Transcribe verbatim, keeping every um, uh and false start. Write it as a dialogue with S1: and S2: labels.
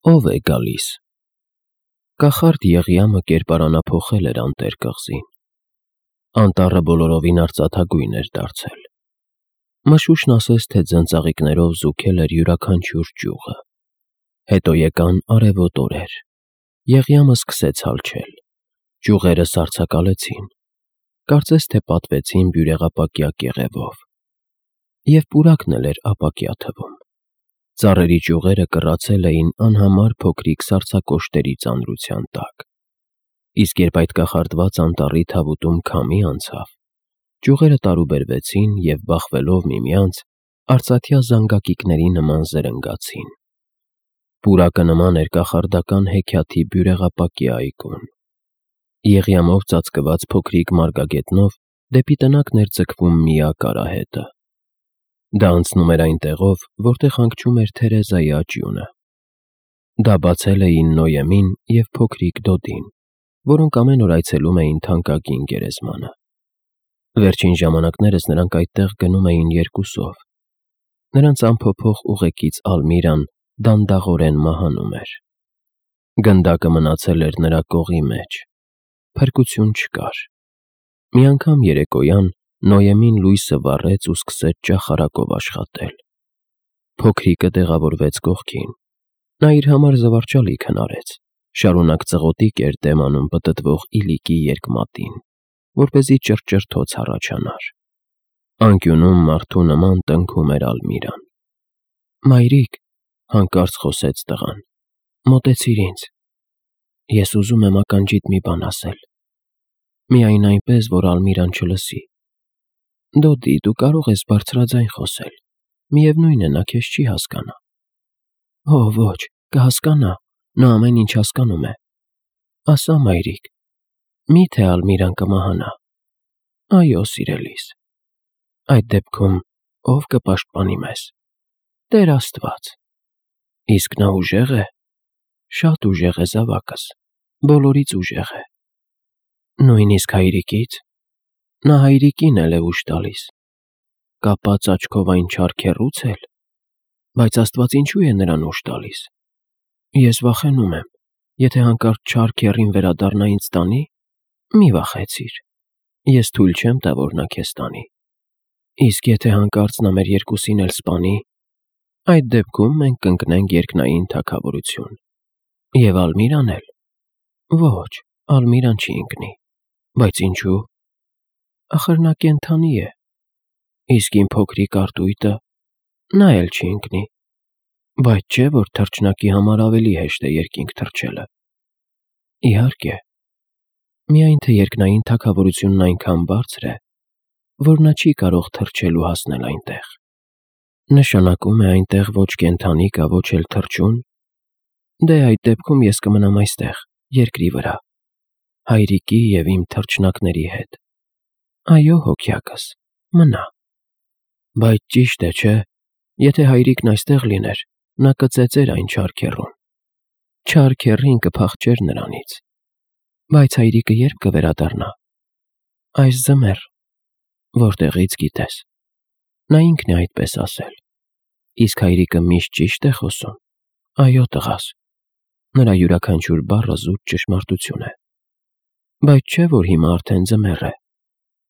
S1: Ո՞վ է գալիս։ Կախարդ Եղիամը կերպարանափոխել էր անտեր կղզին։ Անտառը բոլորովին արծաթագույն էր դարձել։ Մշուշն ասես թե ձնծաղիկներով զուգել էր յուրաքանչյուր ճյուղը։ Հետո եկան արևոտ օրեր։ Եղիամը սկսեց հալչել։ Ճյուղերը սառցակալեցին, կարծես թե պատվեցին բյուրեղապակյա կեղևով։ Եվ պուրակն էլ էր ապակյա թվում։ Ծառերի ճյուղերը կռացել էին անհամար փոքրիկ սառցակոշտերի ծանրության տակ։ Իսկ երբ այդ կախարդված անտառի թավուտում քամի անցավ, ճյուղերը տարուբերվեցին և, բախվելով միմյանց, արծաթյա զանգակիկների նման զրնգացին։ Պուրակը նման էր կախարդական հեքիաթի բյուրեղապակյա այգուն։ Եղիամով ծածկված փոքրիկ մարգագետնով դեպի տնակն էր ձգվում միակ արահետը։ Դա անցնում էր այն տեղով, որտեղ հանգչում էր Թերեզայի աճյունը։ Դա բացել էին Նոյեմին և փոքրիկ Դոդին, որոնք ամեն օր այցելում էին թանկագին գերեզմանը։ Վերջին ժամանակներս նրանք այդտեղ գնում էին երկուսով։ Նրանց անփոփոխ ուղեկից Ալմիրան դանդաղորեն մահանում էր։ Գնդակը մնացել էր նրա կողի մեջ։ Փրկություն չկար։ Մի անգամ երեկոյան Նոյեմին լույսը վառեց ու սկսեց ճախարակով աշխատել։ Փոքրիկը տեղավորվեց կողքին։ Նա իր համար զվարճալի քնարեց, շարունակ ծղոտիկ էր դեմ անում պտտվող իլիկի երկմատին, որպեսզի ճռճռթոց առաջանար։ Անկյունում մարդու նման տնքում էր Ալմիրան։ «Մայրիկ», հանկարծ խոսեց տղան, «մոտեցիր ինձ։ Ես ուզում եմ ականջիդ մի բան ասել։ Միայն այնպես, որ Ալմիրան չլսի։ Դոդի, դու կարող ես բարձրաձայն խոսել, միևնույն է, նա քեզ չի հասկանա»։ «Օ, ոչ, կհասկանա, նա ամեն ինչ հասկանում է։ Ասա, մայրիկ, մի՞թե Ալմիրան կմահանա»։ «Այո, սիրելիս»։ «Այդ դեպքում ո՞վ կպաշտպանի մեզ»։ «Տեր Աստված»։ «Իսկ նա ուժեղ է»։ «Շատ ուժեղ է, զավակս, բոլորից ուժեղ է»։ «Նույնիսկ հայրիկից»։ «Նա հայրիկին էլ է ուժ տալիս»։ «Կապած աչքով այն չար քեռուց էլ»։ «Բայց Աստված ինչու է նրան ուժ տալիս»։ «Ես վախենում եմ, եթե հանկարծ չար քեռին վերադառնա ինձ տանի»։ «Մի վախեցիր, ես թույլ չեմ տա, որ նա քեզ տանի»։ «Իսկ եթե հանկարծ նա մեր երկուսին էլ սպանի»։ «Այդ դեպքում մենք կընկնենք երկնային թագավորություն»։ «Եվ Ալմիրան էլ»։ «Ոչ, Ալմիրան չի ընկնի»։ «Բայց ինչու»։ «Ախր նա կենդանի է»։ «Իսկ իմ փոքրիկ արտույտը»։ «Նա էլ չի ընկնի»։ «Բայց չէ՞ որ թռչնակի համար ավելի հեշտ է երկինք թռչելը»։ «Իհարկե, միայն թե երկնային թագավորությունն այնքան բարձր է, որ նա չի կարող թռչել ու հասնել այնտեղ»։ «Նշանակում է այնտեղ ոչ կենդանի կա, ոչ էլ թռչուն»։ «Դե, այդ դեպքում ես կմնամ այստեղ, երկրի վրա, հայրիկի և իմ թռչնակների հետ»։ «Այո, հոգյակս, մնա»։ «Բայց ճիշտ է, չէ՞, եթե հայրիկն այստեղ լիներ, նա կծեծեր այն չար քեռուն։ Չար քեռին կփախչեր նրանից»։ «Բայց հայրիկը ե՞րբ կվերադառնա»։ «Այս ձմեռ»։ «Որտեղից գիտես»։ «Նա ինքն է այդպես ասել»։ «Իսկ հայրիկը միշտ ճի՞շտ է խոսում»։ «Այո, տղաս, նրա յուրաքանչյուր բառը զուտ ճշմարտություն է»։ «Բայց չէ՞ որ հիմա արդեն ձմեռ է»։